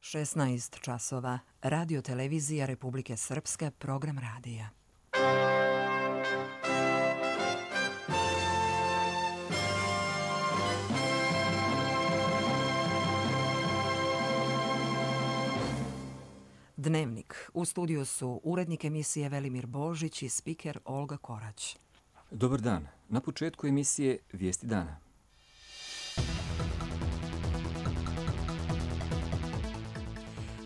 16 časova. Radio televizija Republike Srpske, program radija. Dnevnik. U studiju su urednik emisije Velimir Božić i spiker Olga Korać. Dobar dan. Na početku emisije Vijesti dana.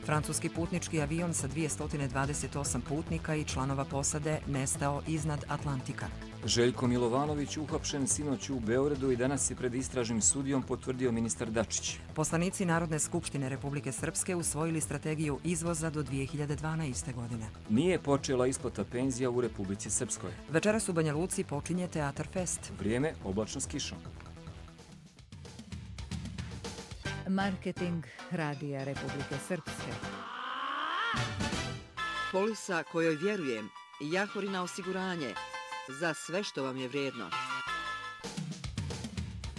Francuski putnički avion sa 228 putnika i članova posade nestao iznad Atlantika. Željko Milovanović uhapšen sinoć u Beogradu i danas je pred istražnim sudijom potvrdio ministar Dačić. Poslanici Narodne skupštine Republike Srpske usvojili strategiju izvoza do 2012. godine. Nije počela isplata penzija u Republici Srpskoj. Večeras u Banja Luci počinje Teatar Fest. Vrijeme oblačno s kišom. Marketing radija Republike Srpske. Polisa kojoj vjerujem. Jahorina osiguranje. Za sve što vam je vrijedno.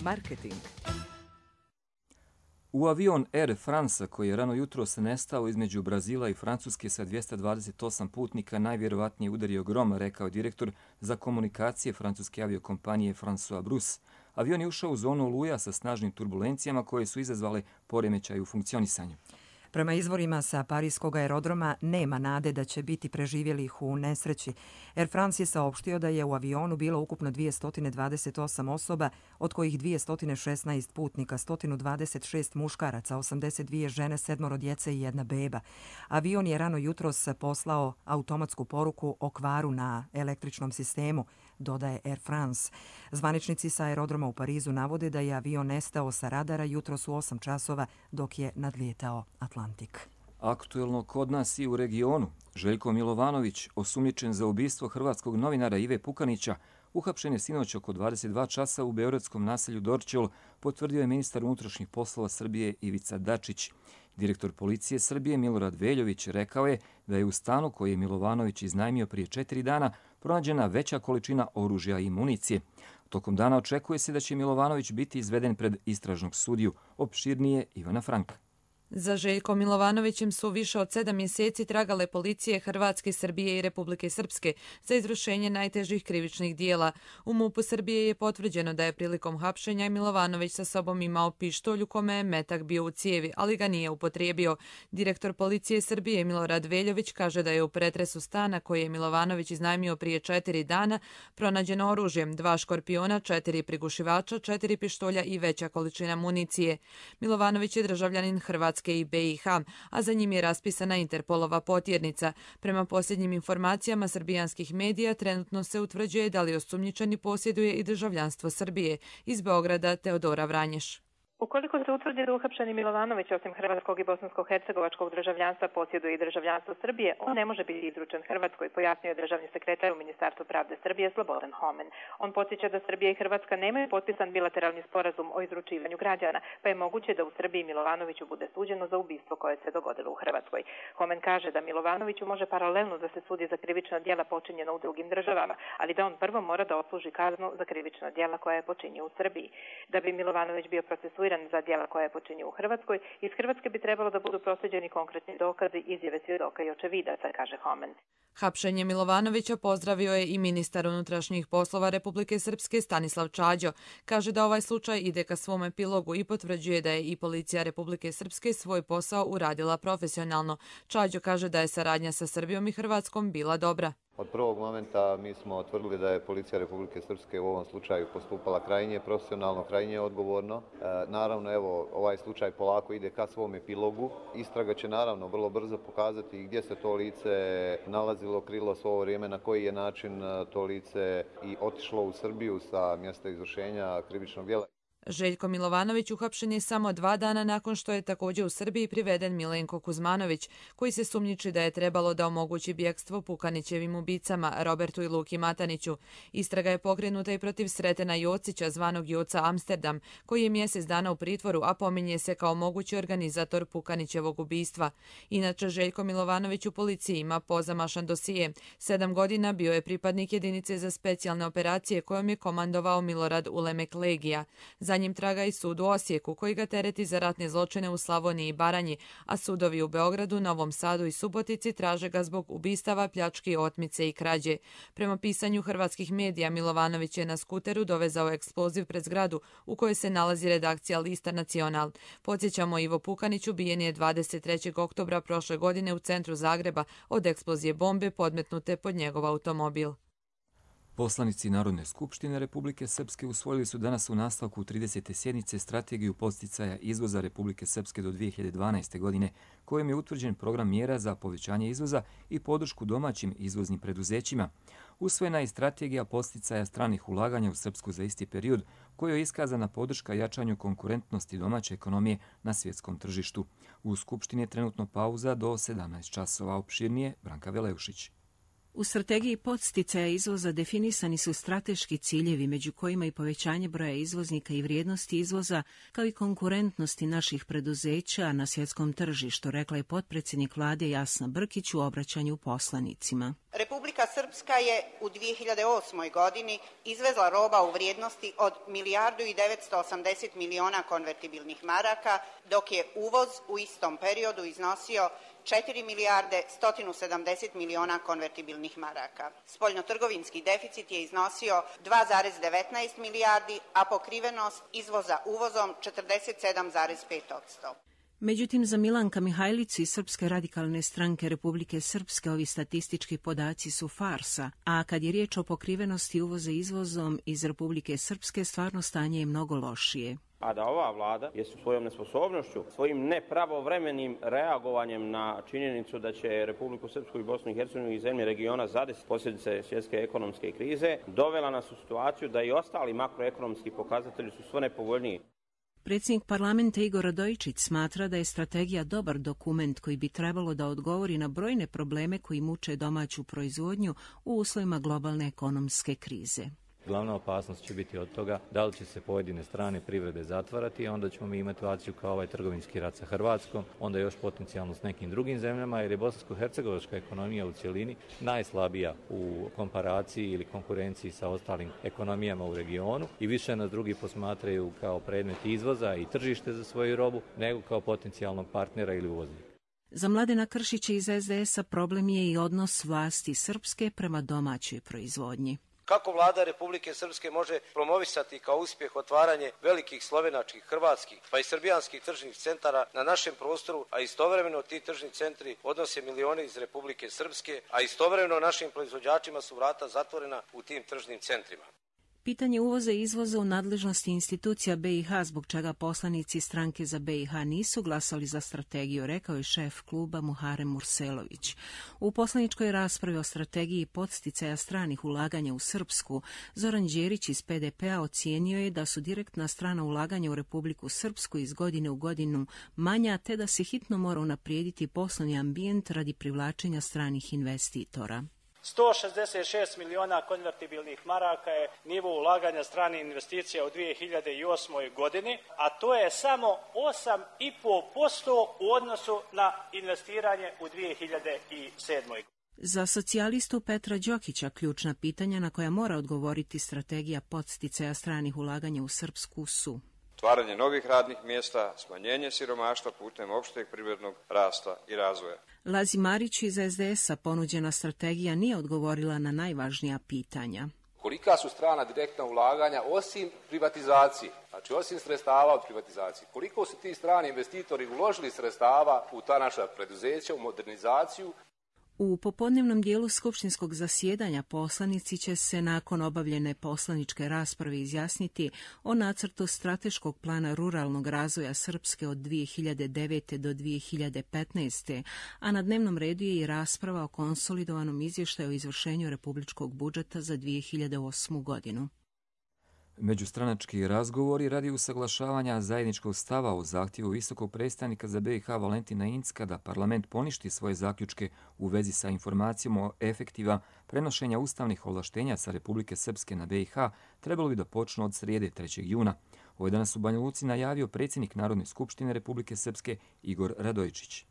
Marketing. U avion Air France koji je rano jutros nestao između Brazila i Francuske sa 228 putnika najvjerovatnije udario grom, rekao direktor za komunikacije francuske aviokompanije François Brus. Avion je ušao u zonu oluja sa snažnim turbulencijama koje su izazvale poremećaj u funkcionisanju. Prema izvorima sa parijskog aerodroma nema nade da će biti preživjelih u nesreći. Air France je saopštio da je u avionu bilo ukupno 228 osoba, od kojih 216 putnika, 126 muškaraca, 82 žene, 7 djece i 1 beba. Avion je rano jutros poslao automatsku poruku o kvaru na električnom sistemu, dodaje Air France. Zvaničnici sa aerodroma u Parizu navode da je avion nestao sa radara jutros u 8 časova dok je nadlijetao Atlantik. Aktuelno kod nas i u regionu. Željko Milovanović, osumnjičen za ubistvo hrvatskog novinara Ive Pukanića, uhapšen je sinoć oko 22 časa u beogradskom naselju Dorćol, potvrdio je ministar unutrašnjih poslova Srbije Ivica Dačić. Direktor policije Srbije Milorad Veljović rekao je da je u stanu koji je Milovanović iznajmio prije 4 dana pronađena veća količina oružja i municije. Tokom dana očekuje se da će Milovanović biti izveden pred istražnog sudiju. Opširnije Ivana Franka. Za Željkom Milovanovićem su više od 7 mjeseci tragale policije Hrvatske, Srbije i Republike Srpske za izvršenje najtežih krivičnih dijela. U MUP-u Srbije je potvrđeno da je prilikom hapšenja Milovanović sa sobom imao pištolj u kome je metak bio u cijevi, ali ga nije upotrijebio. Direktor policije Srbije Milorad Veljović kaže da je u pretresu stana koji je Milovanović iznajmio prije 4 dana pronađeno oružje, 2 škorpiona, 4 prigušivača, 4 pištolja i veća količina municije. Milovanović je državljanin Hrvatske i BiH, a za njim je raspisana Interpolova potjernica. Prema posljednjim informacijama srbijanskih medija trenutno se utvrđuje da li osumnjičeni posjeduje i državljanstvo Srbije. Iz Beograda Teodora Vranješ. Ukoliko se utvrdi da uhapšeni Milovanović osim hrvatskog i bosansko-hercegovačkog državljanstva posjeduje i državljanstvo Srbije, on ne može biti izručen Hrvatskoj, pojasnio je državni sekretar u Ministarstvu pravde Srbije Slobodan Homen. On podsjeća da Srbija i Hrvatska nemaju potpisan bilateralni sporazum o izručivanju građana, pa je moguće da u Srbiji Milovanoviću bude suđeno za ubistvo koje se dogodilo u Hrvatskoj. Homen kaže da Milovanoviću može paralelno da se sudi za krivična djela počinjena u drugim državama, ali da on prvo mora da odsluži kaznu za krivična djela koja je počinio u Srbiji. Da bi Milovanović bio procesuiran za djela koja je počinio u Hrvatskoj, iz Hrvatske bi trebalo da budu proslijeđeni konkretni dokazi, izjave svjedoka i očevidaca, kaže Homen. Hapšenje Milovanovića pozdravio je i ministar unutrašnjih poslova Republike Srpske Stanislav Čađo. Kaže da ovaj slučaj ide ka svom epilogu i potvrđuje da je i policija Republike Srpske svoj posao uradila profesionalno. Čađo kaže da je saradnja sa Srbijom i Hrvatskom bila dobra. Od prvog momenta mi smo tvrdili da je policija Republike Srpske u ovom slučaju postupala krajnje profesionalno, krajnje odgovorno. Naravno, evo, ovaj slučaj polako ide ka svom epilogu. Istraga će naravno vrlo brzo pokazati gdje se to lice nalazilo, krilo svo ovo vrijeme, na koji je način to lice i otišlo u Srbiju sa mjesta izvršenja krivičnog djela. Željko Milovanović uhapšen je samo 2 dana nakon što je također u Srbiji priveden Milenko Kuzmanović, koji se sumnjiči da je trebalo da omogući bjekstvo Pukanićevim ubicama Robertu i Luki Mataniću. Istraga je pokrenuta i protiv Sretena Jocića, zvanog Joca Amsterdam, koji je mjesec dana u pritvoru, a pominje se kao mogući organizator Pukanićevog ubistva. Inače, Željko Milovanović u policiji ima pozamašan dosije. 7 godina bio je pripadnik jedinice za specijalne operacije kojom je komandovao Milorad Ulemek Legija. Za njim traga i sud u Osijeku, koji ga tereti za ratne zločine u Slavoniji i Baranji, a sudovi u Beogradu, Novom Sadu i Subotici traže ga zbog ubistava, pljački, otmice i krađe. Prema pisanju hrvatskih medija, Milovanović je na skuteru dovezao eksploziv pred zgradu u kojoj se nalazi redakcija lista Nacional. Podsjećamo, Ivo Pukanić ubijen je 23. oktobra prošle godine u centru Zagreba od eksplozije bombe podmetnute pod njegov automobil. Poslanici Narodne skupštine Republike Srpske usvojili su danas u nastavku 30. sjednice strategiju podsticaja izvoza Republike Srpske do 2012. godine, kojim je utvrđen program mjera za povećanje izvoza i podršku domaćim izvoznim preduzećima. Usvojena je strategija podsticaja stranih ulaganja u Srpsku za isti period, kojoj je iskazana podrška jačanju konkurentnosti domaće ekonomije na svjetskom tržištu. U Skupštini je trenutno pauza do 17 časova. Opširnije Branka Veleušić. U strategiji podsticaja izvoza definisani su strateški ciljevi, među kojima i povećanje broja izvoznika i vrijednosti izvoza, kao i konkurentnosti naših preduzeća na svjetskom tržištu, rekla je potpredsjednik vlade Jasna Brkić u obraćanju poslanicima. Republika Srpska je u 2008. godini izvezla roba u vrijednosti od 1.980 miliona konvertibilnih maraka, dok je uvoz u istom periodu iznosio 4.170 miliona konvertibilnih maraka. Spoljnotrgovinski deficit je iznosio 2,19 milijardi, a pokrivenost izvoza uvozom 47,5%. Međutim, za Milanka Mihajlicu iz Srpske radikalne stranke Republike Srpske ovi statistički podaci su farsa, a kad je riječ o pokrivenosti uvoza izvozom iz Republike Srpske, stvarno stanje je mnogo lošije. A da ova vlada je svojom nesposobnošću, svojim nepravovremenim reagovanjem na činjenicu da će Republiku Srpsku i Bosnu i Hercegovinu i zemlje regiona zadesiti posljedice svjetske ekonomske krize, dovela nas u situaciju da i ostali makroekonomski pokazatelji su sve nepovoljniji. Predsjednik parlamenta Igor Radojičić smatra da je strategija dobar dokument koji bi trebalo da odgovori na brojne probleme koji muče domaću proizvodnju u uslovima globalne ekonomske krize. Glavna opasnost će biti od toga da li će se pojedine strane privrede zatvarati, a onda ćemo mi imati situaciju kao ovaj trgovinski rat sa Hrvatskom, onda još potencijalno s nekim drugim zemljama, jer je bosansko-hercegovačka ekonomija u cjelini najslabija u komparaciji ili konkurenciji sa ostalim ekonomijama u regionu i više nas drugi posmatraju kao predmet izvoza i tržište za svoju robu, nego kao potencijalnog partnera ili uvoznika. Za Mladena Kršića iz SDS-a problem je i odnos vlasti Srpske prema domaćoj proizvodnji. Kako vlada Republike Srpske može promovisati kao uspjeh otvaranje velikih slovenačkih, hrvatskih pa i srbijanskih tržnih centara na našem prostoru, a istovremeno ti tržni centri odnose milione iz Republike Srpske, a istovremeno našim proizvođačima su vrata zatvorena u tim tržnim centrima. Pitanje uvoza i izvoza u nadležnosti institucija BiH, zbog čega poslanici stranke za BiH nisu glasali za strategiju, rekao je šef kluba Muharem Murselović. U poslaničkoj raspravi o strategiji podsticaja stranih ulaganja u Srpsku, Zoran Đerić iz PDP-a ocijenio je da su direktna strana ulaganja u Republiku Srpsku iz godine u godinu manja, te da se hitno mora unaprijediti poslovni ambijent radi privlačenja stranih investitora. 166 miliona konvertibilnih maraka je nivo ulaganja stranih investicija u 2008. godini, a to je samo 8,5% u odnosu na investiranje u 2007. godini. Za socijalistu Petra Đokića ključna pitanja na koja mora odgovoriti strategija podsticaja stranih ulaganja u Srpsku su: stvaranje novih radnih mjesta, smanjenje siromaštva putem opšteg privrednog rasta i razvoja. Lazi Marić iz SDS-a ponuđena strategija nije odgovorila na najvažnija pitanja. Kolika su strana direktna ulaganja osim privatizacije, znači osim sredstava od privatizacije? Koliko su ti strani investitori uložili sredstava u ta naša preduzeća, u modernizaciju? U popodnevnom dijelu skupštinskog zasjedanja poslanici će se nakon obavljene poslaničke rasprave izjasniti o nacrtu strateškog plana ruralnog razvoja Srpske od 2009. do 2015. a na dnevnom redu je i rasprava o konsolidovanom izvještaju o izvršenju republičkog budžeta za 2008. godinu. Međustranački razgovori radi usaglašavanja zajedničkog stava o zahtjevu visokog predstavnika za BiH Valentina Incka da parlament poništi svoje zaključke u vezi sa informacijom o efektiva prenošenja ustavnih ovlaštenja sa Republike Srpske na BiH trebalo bi da počnu od srijede 3. juna. Ovo je danas u Banja Luci najavio predsjednik Narodne skupštine Republike Srpske Igor Radojičić.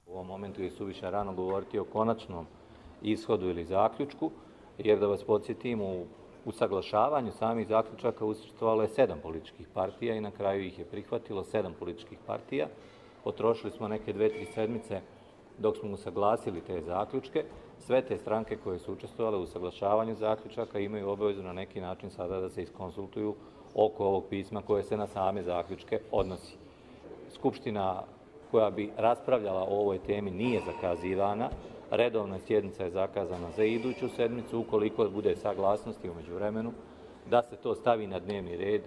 U ovom momentu je suviše rano govoriti o konačnom ishodu ili zaključku, jer da vas podsjetim, u U saglašavanju samih zaključaka učestvovalo je 7 političkih partija i na kraju ih je prihvatilo 7 političkih partija. Potrošili smo neke 2-3 sedmice dok smo usaglasili te zaključke. Sve te stranke koje su učestvovale u usaglašavanju zaključaka imaju obavezu na neki način sada da se iskonsultuju oko ovog pisma koje se na same zaključke odnosi. Skupština koja bi raspravljala o ovoj temi nije zakazivana. Redovna sjednica je zakazana za iduću sedmicu, ukoliko bude saglasnosti u međuvremenu, da se to stavi na dnevni red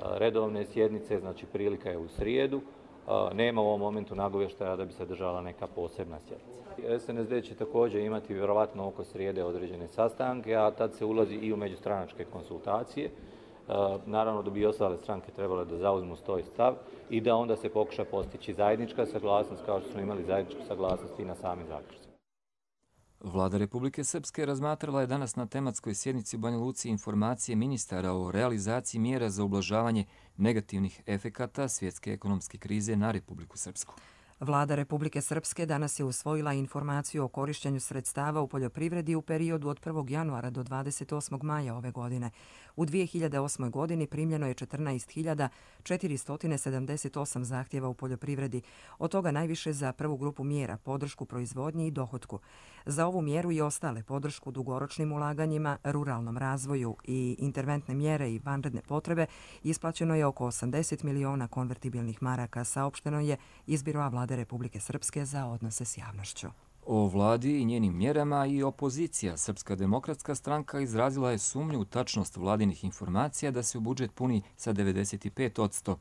redovne sjednice, znači prilika je u srijedu. Nema u ovom momentu nagovještaja da bi se držala neka posebna sjednica. SNSD će također imati vjerovatno oko srijede određene sastanke, a tad se ulazi i u međustranačke konsultacije. Naravno da bi i ostale stranke trebale da zauzmu svoj stav i da onda se pokuša postići zajednička saglasnost, kao što smo imali zajedničku saglasnost i na samim zaključcima. Vlada Republike Srpske razmatrala je danas na tematskoj sjednici u Banja Luci informacije ministara o realizaciji mjera za ublažavanje negativnih efekata svjetske ekonomske krize na Republiku Srpsku. Vlada Republike Srpske danas je usvojila informaciju o korištenju sredstava u poljoprivredi u periodu od 1. januara do 28. maja ove godine. U 2008. godini primljeno je 14.478 zahtjeva u poljoprivredi, od toga najviše za prvu grupu mjera, podršku proizvodnji i dohotku. Za ovu mjeru i ostale podršku dugoročnim ulaganjima, ruralnom razvoju i interventne mjere i vanredne potrebe isplaćeno je oko 80 miliona konvertibilnih maraka, saopšteno je iz Biroa Vlade Republike Srpske za odnose s javnošću. O vladi i njenim mjerama i opozicija Srpska demokratska stranka izrazila je sumnju u tačnost vladinih informacija da se u budžet puni sa 95%.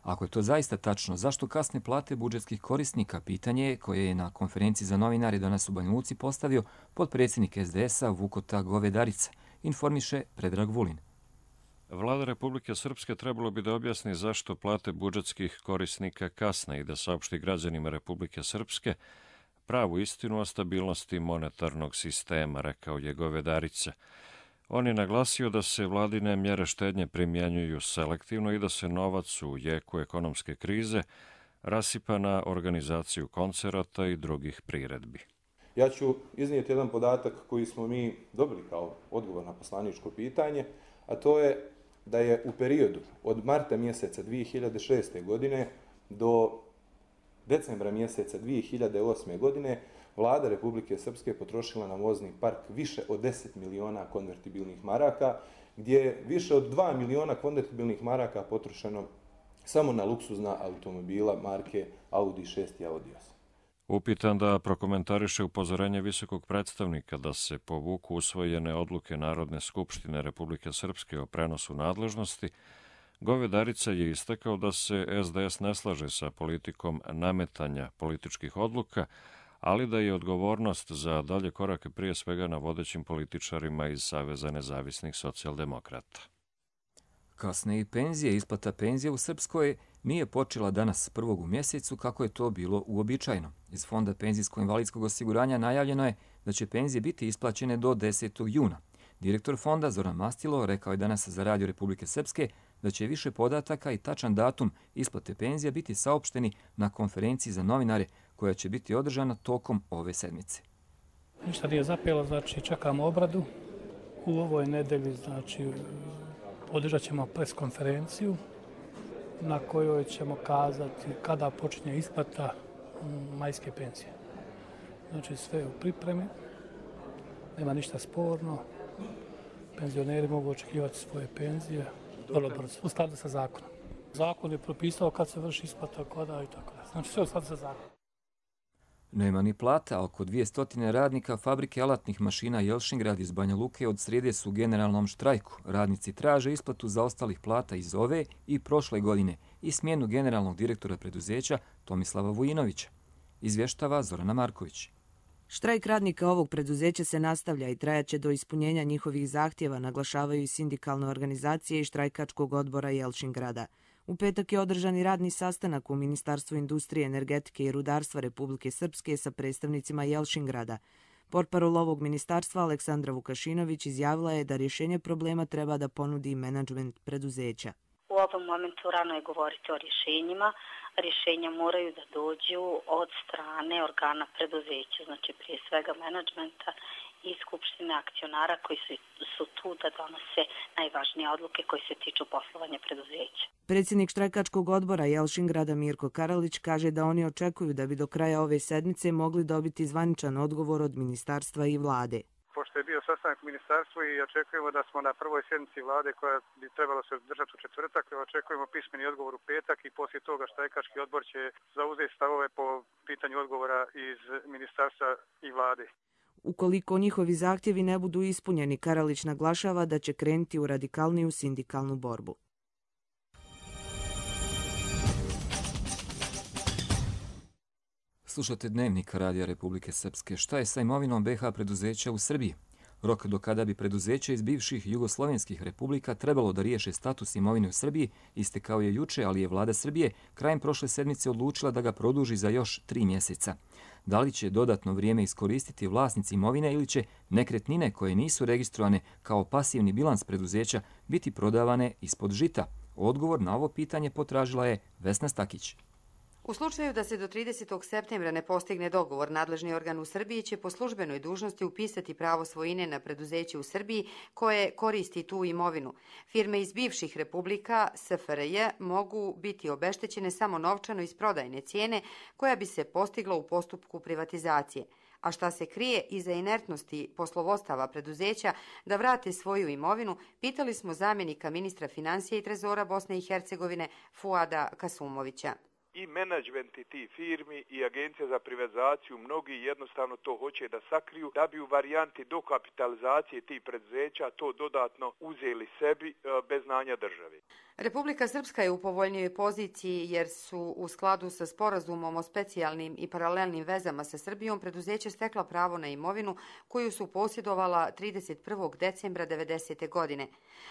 Ako je to zaista tačno, zašto kasne plate budžetskih korisnika? Pitanje je koje je na konferenciji za novinare danas u Banja Luci postavio potpredsjednik SDS-a Vukota Govedarica, informiše Predrag Vulin. Vlada Republike Srpske trebalo bi da objasni zašto plate budžetskih korisnika kasne i da saopšti građanima Republike Srpske pravu istinu o stabilnosti monetarnog sistema, rekao je Govedarica. On je naglasio da se vladine mjere štednje primjenjuju selektivno i da se novac u jeku ekonomske krize rasipa na organizaciju koncerata i drugih priredbi. Ja ću iznijeti jedan podatak koji smo mi dobili kao odgovor na poslaničko pitanje, a to je da je u periodu od marta mjeseca 2006. godine do decembra mjeseca 2008. godine Vlada Republike Srpske potrošila na vozni park više od 10 miliona konvertibilnih maraka, gdje je više od 2 miliona konvertibilnih maraka potrošeno samo na luksuzna automobila marke Audi 6 i Audi 8. Upitan da prokomentariše upozorenje visokog predstavnika da se povuku usvojene odluke Narodne skupštine Republike Srpske o prenosu nadležnosti, Govedarica je istakao da se SDS ne slaže sa politikom nametanja političkih odluka, ali da je odgovornost za dalje korake prije svega na vodećim političarima iz Saveza nezavisnih socijaldemokrata. Kasne i penzije. Isplata penzija u Srpskoj nije počela danas prvog u mjesecu kako je to bilo uobičajeno. Iz Fonda penzijsko-invalidskog osiguranja najavljeno je da će penzije biti isplaćene do 10. juna. Direktor fonda Zoran Mastilo rekao je danas za Radio Republike Srpske da će više podataka i tačan datum isplate penzija biti saopšteni na konferenciji za novinare koja će biti održana tokom ove sedmice. Ništa nije zapelo, znači čekamo obradu. U ovoj nedelji znači održat ćemo preskonferenciju na kojoj ćemo kazati kada počinje isplata majske penzije. Znači sve je u pripremi, nema ništa sporno. Penzioneri mogu očekivati svoje penzije vrlo brzo, u skladu sa zakonom. Zakon je propisao kad se vrši isplata, kada i tako da. Znači sve u skladu sa zakonom. Nema ni plata, oko 200 radnika fabrike alatnih mašina Jelšingrad iz Banja Luke od srijede su u generalnom štrajku. Radnici traže isplatu zaostalih plata iz ove i prošle godine i smjenu generalnog direktora preduzeća Tomislava Vujinovića. Izvještava Zorana Marković. Štrajk radnika ovog preduzeća se nastavlja i trajaće do ispunjenja njihovih zahtjeva, naglašavaju i sindikalne organizacije i štrajkačkog odbora Jelšingrada. U petak je održan i radni sastanak u Ministarstvu industrije, energetike i rudarstva Republike Srpske sa predstavnicima Jelšingrada. Portparol ovog ministarstva Aleksandra Vukašinović izjavila je da rješenje problema treba da ponudi menadžment preduzeća. U ovom momentu rano je govoriti o rješenjima. Rješenja moraju da dođu od strane organa preduzeća, znači prije svega menadžmenta i skupštine akcionara koji su tu da donose najvažnije odluke koje se tiču poslovanja preduzeća. Predsjednik štrajkačkog odbora Jelšingrada Mirko Karalić kaže da oni očekuju da bi do kraja ove sedmice mogli dobiti zvaničan odgovor od ministarstva i vlade. Pošto je bio sastanak u ministarstvu i očekujemo da smo na prvoj sjednici vlade koja bi trebalo se održati u četvrtak, očekujemo pismeni odgovor u petak i poslije toga štrajkački odbor će zauzeti stavove po pitanju odgovora iz ministarstva i vlade. Ukoliko njihovi zahtjevi ne budu ispunjeni, Karalić naglašava da će krenuti u radikalniju sindikalnu borbu. Slušate Dnevnik Radija Republike Srpske. Šta je sa imovinom BiH preduzeća u Srbiji? Rok do kada bi preduzeće iz bivših jugoslovenskih republika trebalo da riješe status imovine u Srbiji istekao je juče, ali je vlada Srbije krajem prošle sedmice odlučila da ga produži za još 3 mjeseca. Da li će dodatno vrijeme iskoristiti vlasnici imovine ili će nekretnine koje nisu registrovane kao pasivni bilans preduzeća biti prodavane ispod žita? Odgovor na ovo pitanje potražila je Vesna Stakić. U slučaju da se do 30. septembra ne postigne dogovor, nadležni organ u Srbiji će po službenoj dužnosti upisati pravo svojine na preduzeće u Srbiji koje koristi tu imovinu. Firme iz bivših republika SFRJ mogu biti obeštećene samo novčano iz prodajne cijene koja bi se postigla u postupku privatizacije. A šta se krije iza inertnosti poslovodstava preduzeća da vrate svoju imovinu, pitali smo zamjenika ministra financija i trezora Bosne i Hercegovine Fuada Kasumovića. I menadžmenti tih firmi i agencija za privatizaciju, mnogi jednostavno to hoće da sakriju da bi u varijanti dokapitalizacije tih preduzeća to dodatno uzeli sebi bez znanja države. Republika Srpska je u povoljnijoj poziciji jer su u skladu sa sporazumom o specijalnim i paralelnim vezama sa Srbijom preduzeće stekla pravo na imovinu koju su posjedovala 31. decembra 1990. godine.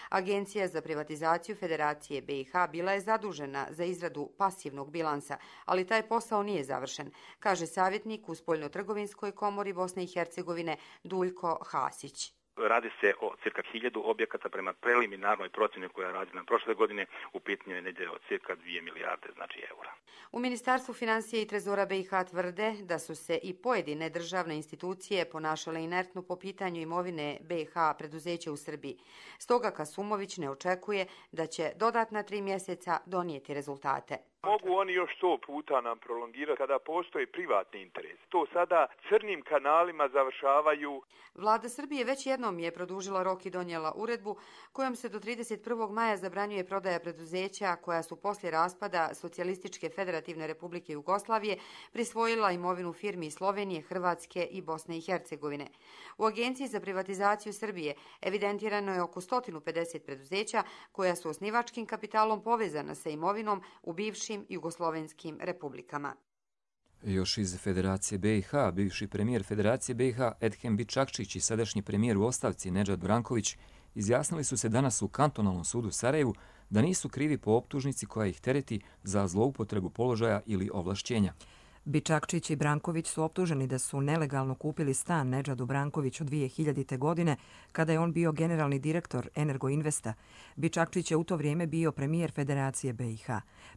Agencija za privatizaciju Federacije BiH bila je zadužena za izradu pasivnog bilansa, ali taj posao nije završen, kaže savjetnik u Spoljnotrgovinskoj komori Bosne i Hercegovine Duljko Hasić. Radi se o cirka 1000 objekata prema preliminarnoj procjeni koja je rađena prošle godine, u pitanju je negdje od cirka 2 milijarde eura. U Ministarstvu financija i trezora BiH tvrde da su se i pojedine državne institucije ponašale inertno po pitanju imovine BiH preduzeća u Srbiji. Stoga Kasumović ne očekuje da će dodatna 3 mjeseca donijeti rezultate. Mogu oni još 100 puta nam prolongirati kada postoji privatni interes. To sada crnim kanalima završavaju. Vlada Srbije već jednom je produžila rok i donijela uredbu kojom se do 31. maja zabranjuje prodaja preduzeća koja su poslije raspada Socijalističke federativne republike Jugoslavije prisvojila imovinu firmi Slovenije, Hrvatske i Bosne i Hercegovine. U Agenciji za privatizaciju Srbije evidentirano je oko 150 preduzeća koja su osnivačkim kapitalom povezana sa imovinom u bivšim jugoslovenskim republikama. Još iz Federacije BiH, bivši premijer Federacije BiH Edhem Bičakčić i sadašnji premijer u ostavci Nedžad Branković izjasnili su se danas u kantonalnom sudu Sarajevu da nisu krivi po optužnici koja ih tereti za zloupotrebu položaja ili ovlašćenja. Bičakčić i Branković su optuženi da su nelegalno kupili stan Nedžadu Brankoviću 2000. godine kada je on bio generalni direktor Energoinvesta. Bičakčić je u to vrijeme bio premijer Federacije BiH.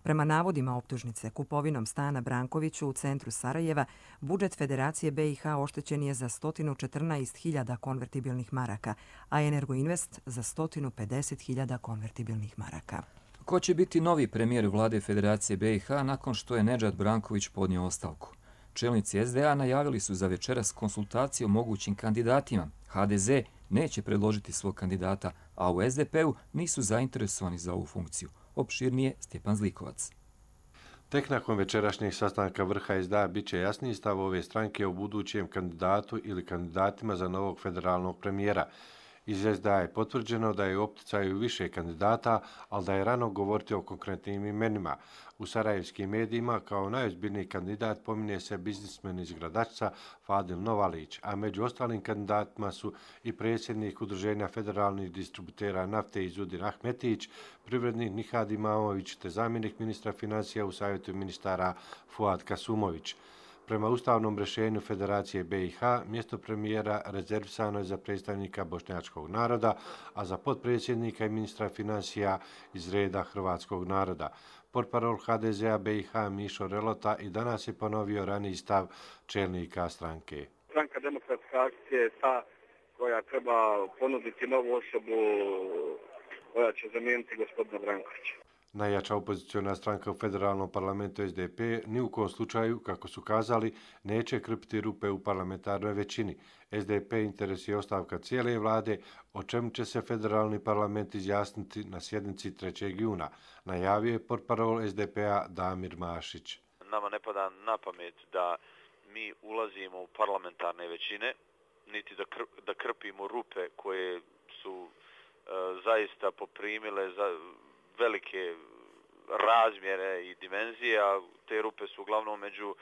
Prema navodima optužnice, kupovinom stana Brankoviću u centru Sarajeva, budžet Federacije BiH oštećen je za 114.000 konvertibilnih maraka, a Energoinvest za 150.000 konvertibilnih maraka. Ko će biti novi premijer vlade Federacije BiH nakon što je Nedžad Branković podnio ostavku? Čelnici SDA najavili su za večeras konsultacije o mogućim kandidatima. HDZ neće predložiti svog kandidata, a u SDP-u nisu zainteresovani za ovu funkciju. Opširnije Stjepan Zlikovac. Tek nakon večerašnjeg sastanka vrha SDA bit će jasniji stav ove stranke o budućem kandidatu ili kandidatima za novog federalnog premijera. Iz SDA je potvrđeno da je u opticaju više kandidata, ali da je rano govoriti o konkretnim imenima. U sarajevskim medijima kao najozbiljniji kandidat pominje se biznismen iz Gradačca Fadil Novalić, a među ostalim kandidatima su i predsjednik Udruženja federalnih distributera nafte Izudin Ahmetić, privrednik Nihad Imamović te zamjenik ministra financija u savjetu ministara Fuad Kasumović. Prema ustavnom rješenju Federacije BiH, mjesto premijera rezervisano je za predstavnika bošnjačkog naroda, a za potpredsjednika i ministra financija iz reda hrvatskog naroda. Portparol HDZ-a BiH Mišo Relota i danas je ponovio raniji stav čelnika stranke. Stranka Demokratska akcija je ta koja treba ponuditi novu osobu koja će zamijeniti gospodina Brankovića. Najjača opoziciona stranka u federalnom parlamentu SDP ni u kom slučaju, kako su kazali, neće krpiti rupe u parlamentarnoj većini. SDP interesuje ostavka cijele vlade, o čemu će se federalni parlament izjasniti na sjednici 3. juna, najavio je portparol SDP-a Damir Mašić. Nama ne pada na pamet da mi ulazimo u parlamentarne većine, niti da krpimo rupe koje su zaista poprimile velike razmjere i dimenzije, a te rupe su uglavnom među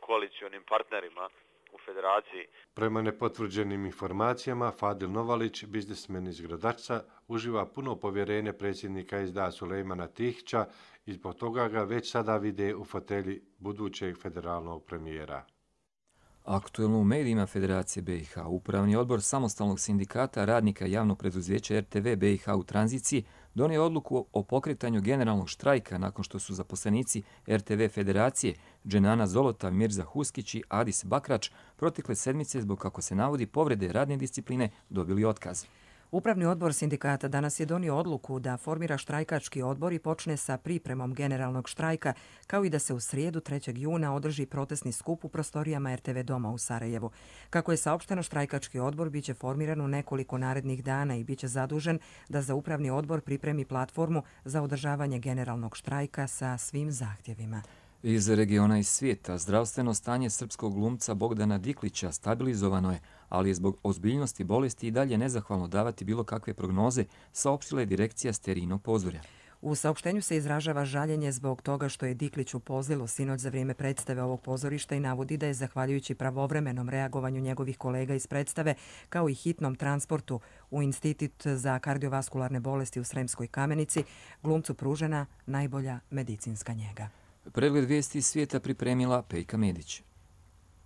koalicionim partnerima u federaciji. Prema nepotvrđenim informacijama, Fadil Novalić, biznismen iz Gradačca, uživa puno povjerenje predsjednika SDA Sulejmana Tihića i zbog toga ga već sada vide u fotelji budućeg federalnog premijera. Aktuelno u medijima Federacije BiH, Upravni odbor Samostalnog sindikata radnika javnog preduzeća RTV BiH u tranziciji donio odluku o pokretanju generalnog štrajka nakon što su zaposlenici RTV Federacije Dženana Zolota, Mirza Huskić i Adis Bakrač protekle sedmice zbog, kako se navodi, povrede radne discipline dobili otkaz. Upravni odbor sindikata danas je donio odluku da formira štrajkački odbor i počne sa pripremom generalnog štrajka, kao i da se u srijedu 3. juna održi protestni skup u prostorijama RTV doma u Sarajevu. Kako je saopšteno, štrajkački odbor biće formiran u nekoliko narednih dana i biće zadužen da za upravni odbor pripremi platformu za održavanje generalnog štrajka sa svim zahtjevima. Iz regiona i svijeta zdravstveno stanje srpskog glumca Bogdana Diklića stabilizovano je, ali je zbog ozbiljnosti bolesti i dalje nezahvalno davati bilo kakve prognoze, saopštila je direkcija Sterinog pozorja. U saopštenju se izražava žaljenje zbog toga što je Diklić u Pozilu sinoć za vrijeme predstave ovog pozorišta i navodi da je zahvaljujući pravovremenom reagovanju njegovih kolega iz predstave kao i hitnom transportu u Institut za kardiovaskularne bolesti u Sremskoj Kamenici glumcu pružena najbolja medicinska njega. Pregled vijesti iz svijeta pripremila Pejka Medić.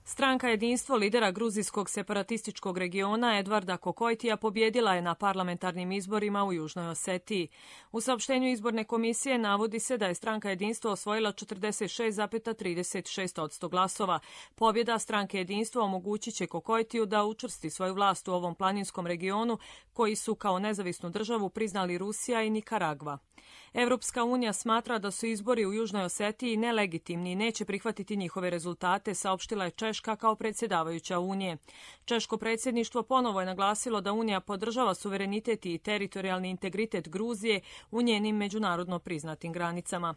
Stranka Jedinstvo lidera gruzijskog separatističkog regiona Edvarda Kokojtija pobjedila je na parlamentarnim izborima u Južnoj Osetiji. U saopštenju izborne komisije navodi se da je stranka Jedinstvo osvojila 46,36% glasova. Pobjeda stranke Jedinstvo omogućit će Kokojtiju da učvrsti svoju vlast u ovom planinskom regionu koji su kao nezavisnu državu priznali Rusija i Nikaragva. Evropska unija smatra da su izbori u Južnoj Osetiji nelegitimni i neće prihvatiti njihove rezultate, saopštila je Češka kao predsjedavajuća Unije. Češko predsjedništvo ponovo je naglasilo da Unija podržava suverenitet i teritorijalni integritet Gruzije u njenim međunarodno priznatim granicama.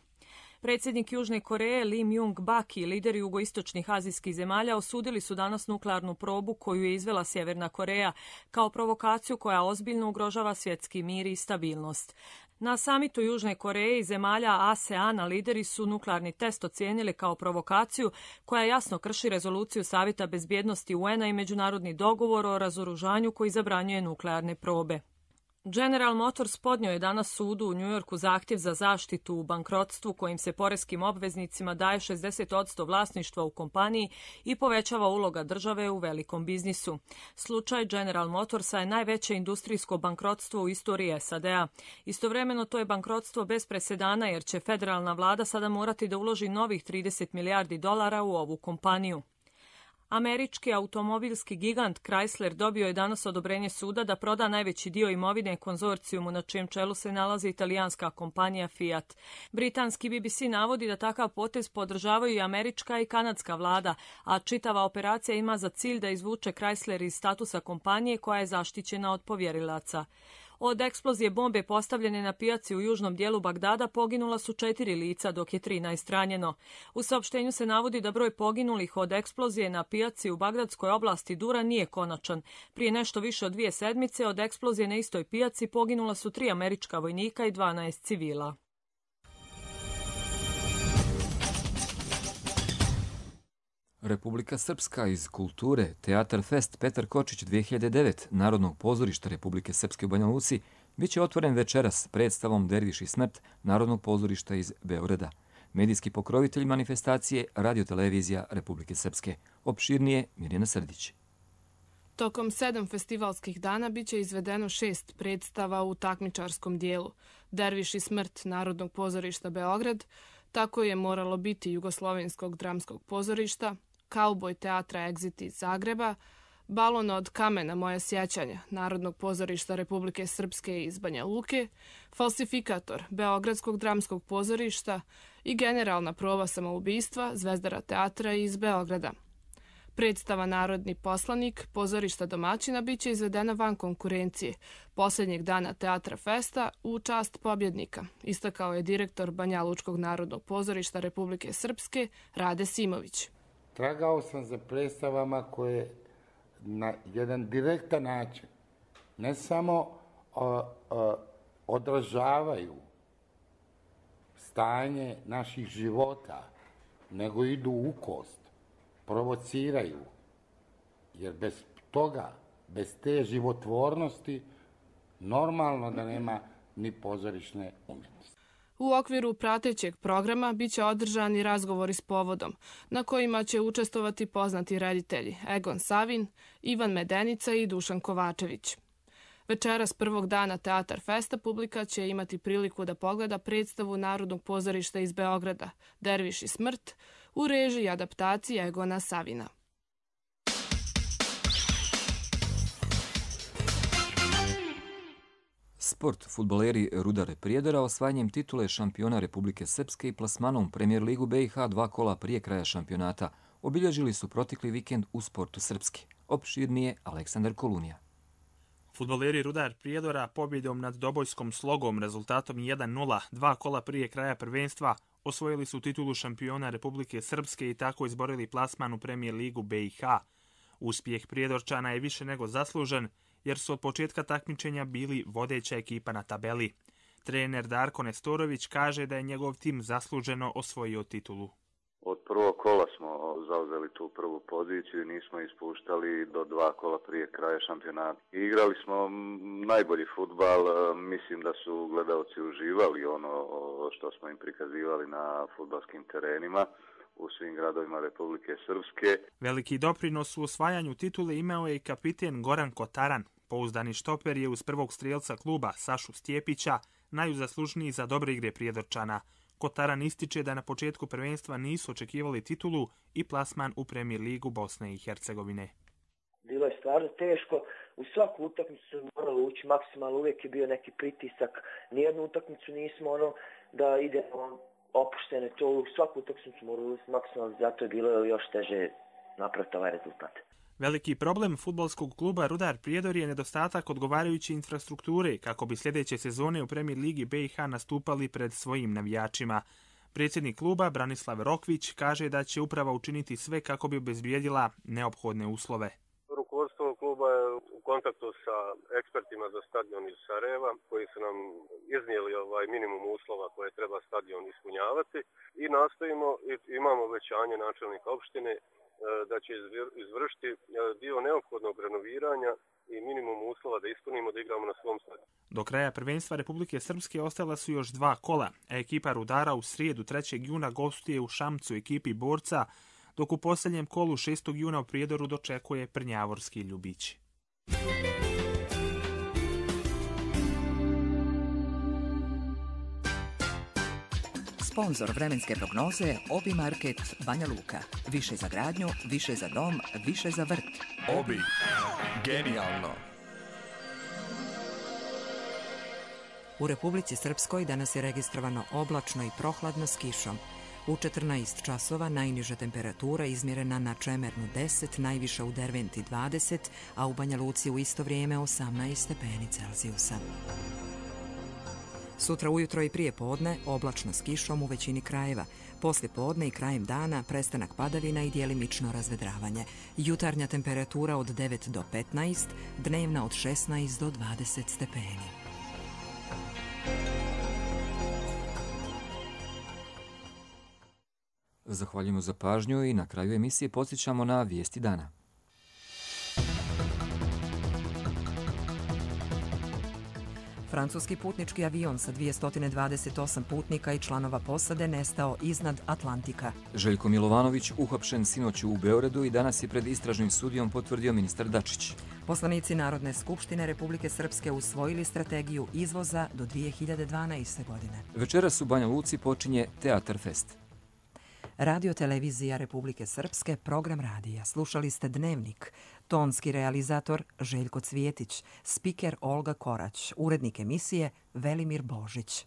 Predsjednik Južne Koreje Lee Myung-bak i lideri jugoistočnih azijskih zemalja osudili su danas nuklearnu probu koju je izvela Sjeverna Koreja kao provokaciju koja ozbiljno ugrožava svjetski mir i stabilnost. Na samitu Južne Koreje i zemalja ASEAN-a lideri su nuklearni test ocijenili kao provokaciju koja jasno krši rezoluciju Savjeta bezbjednosti UN-a i međunarodni dogovor o razoružanju koji zabranjuje nuklearne probe. General Motors podnio je danas sudu u Njujorku zahtjev za zaštitu u bankrotstvu kojim se poreskim obveznicima daje 60% vlasništva u kompaniji i povećava uloga države u velikom biznisu. Slučaj General Motorsa je najveće industrijsko bankrotstvo u istoriji SAD-a. Istovremeno to je bankrotstvo bez presedana jer će federalna vlada sada morati da uloži novih 30 milijardi dolara u ovu kompaniju. Američki automobilski gigant Chrysler dobio je danas odobrenje suda da proda najveći dio imovine konzorcijumu na čijem čelu se nalazi italijanska kompanija Fiat. Britanski BBC navodi da takav potez podržavaju i američka i kanadska vlada, a čitava operacija ima za cilj da izvuče Chrysler iz statusa kompanije koja je zaštićena od povjerilaca. Od eksplozije bombe postavljene na pijaci u južnom dijelu Bagdada poginula su 4 lica, dok je 13 ranjeno. U saopštenju se navodi da broj poginulih od eksplozije na pijaci u bagdadskoj oblasti Dura nije konačan. Prije nešto više od 2 sedmice od eksplozije na istoj pijaci poginula su 3 američka vojnika i 12 civila. Republika Srpska iz kulture, Teatar Fest Petar Kočić 2009 Narodnog pozorišta Republike Srpske u Banja Luci bit će otvoren večeras predstavom Derviš i smrt Narodnog pozorišta iz Beograda. Medijski pokrovitelj manifestacije Radio-televizija Republike Srpske. Opširnije Mirjana Srdić. Tokom 7 festivalskih dana biće izvedeno 6 predstava u takmičarskom dijelu. Derviš i smrt Narodnog pozorišta Beograd, Tako je moralo biti Jugoslovenskog dramskog pozorišta, Kauboj teatra Exit iz Zagreba, Balon od kamena moje sjećanja Narodnog pozorišta Republike Srpske iz Banja Luke, Falsifikator Beogradskog dramskog pozorišta i generalna proba samoubistva Zvezdara teatra iz Beograda. Predstava Narodni poslanik pozorišta domaćina biće izvedena van konkurencije posljednjeg dana Teatra Festa u čast pobjednika, istakao je direktor Banja Lučkog narodnog pozorišta Republike Srpske Rade Simović. Tragao sam za predstavama koje na jedan direktan način ne samo odražavaju stanje naših života, nego idu u kost, provociraju, jer bez toga, bez te životvornosti, normalno da nema ni pozorišne umjetnosti. U okviru pratećeg programa biće održani razgovori s povodom, na kojima će učestvovati poznati reditelji Egon Savin, Ivan Medenica i Dušan Kovačević. Večeras prvog dana Teatar Festa publika će imati priliku da pogleda predstavu Narodnog pozorišta iz Beograda Derviš i smrt u režiji i adaptaciji Egona Savina. Sport. Fudbaleri Rudar Prijedora osvajanjem titule šampiona Republike Srpske i plasmanom Premijer ligu BiH 2 kola prije kraja šampionata obilježili su protekli vikend u sportu srpski. Opširnije Aleksandar Kolunija. Fudbaleri Rudar Prijedora pobjedom nad Dobojskom Slogom rezultatom 1-0 2 kola prije kraja prvenstva osvojili su titulu šampiona Republike Srpske i tako izborili plasman u Premijer ligu BiH. Uspjeh Prijedorčana je više nego zaslužen, jer su od početka takmičenja bili vodeća ekipa na tabeli. Trener Darko Nestorović kaže da je njegov tim zasluženo osvojio titulu. Od prvog kola smo zauzeli tu prvu poziciju i nismo ispuštali do 2 kola prije kraja šampionata. Igrali smo najbolji fudbal, mislim da su gledalci uživali ono što smo im prikazivali na fudbalskim terenima u svim gradovima Republike Srpske. Veliki doprinos u osvajanju titule imao je i kapiten Goran Kotaran. Pouzdani štoper je uz prvog strijelca kluba Sašu Stjepića najzaslužniji za dobre igre Prijedorčana. Kotaran ističe da na početku prvenstva nisu očekivali titulu i plasman u Premijer ligu Bosne i Hercegovine. Bilo je stvarno teško. U svaku utakmicu smo morali ući maksimalno, uvijek je bio neki pritisak. Nijednu utakmicu nismo da idemo opuštene, to u svaku utakmicu smo morali ući maksimalno, zato je bilo još teže napraviti ovaj rezultat. Veliki problem fudbalskog kluba Rudar Prijedor je nedostatak odgovarajuće infrastrukture kako bi sljedeće sezone u Premijer ligi BiH nastupali pred svojim navijačima. Predsjednik kluba Branislav Rokvić kaže da će uprava učiniti sve kako bi obezbijedila neophodne uslove. Rukovodstvo kluba je u kontaktu sa ekspertima za stadion iz Sarajeva koji su nam iznijeli minimum uslova koje treba stadion ispunjavati i nastojimo, imamo obećanje načelnika opštine da će izvršiti dio neophodnog renoviranja i minimum uslova da ispunimo da igramo na svom stadionu. Do kraja prvenstva Republike Srpske ostala su još 2 kola, a ekipa Rudara u srijedu 3. juna gostuje u Šamcu ekipi Borca, dok u posljednjem kolu 6. juna u Prijedoru dočekuje Prnjavorski Ljubići. Sponzor vremenske prognoze Obi Market Banja Luka. Više za gradnju, više za dom, više za vrt. Obi. Genijalno. U Republici Srpskoj danas je registrovano oblačno i prohladno s kišom. U 14 časova najniža temperatura izmjerena na Čemernu 10, najviša u Derventi 20, a u Banja Luci u isto vrijeme 18 stepeni Celzijusa. Sutra ujutro i prije podne oblačno s kišom u većini krajeva. Poslije podne i krajem dana prestanak padavina i djelimično razvedravanje. Jutarnja temperatura od 9 do 15, dnevna od 16 do 20 stepeni. Zahvaljujemo za pažnju i na kraju emisije podsjećamo na vijesti dana. Francuski putnički avion sa 228 putnika i članova posade nestao iznad Atlantika. Željko Milovanović uhapšen sinoć u Beogradu i danas je pred istražnim sudijom potvrdio ministar Dačić. Poslanici Narodne skupštine Republike Srpske usvojili strategiju izvoza do 2012. godine. Večeras u Banja Luci počinje Teatar Fest. Radio televizija Republike Srpske, program radija. Slušali ste Dnevnik. tonski realizator Željko Cvjetić, spiker Olga Korać, urednik emisije Velimir Božić.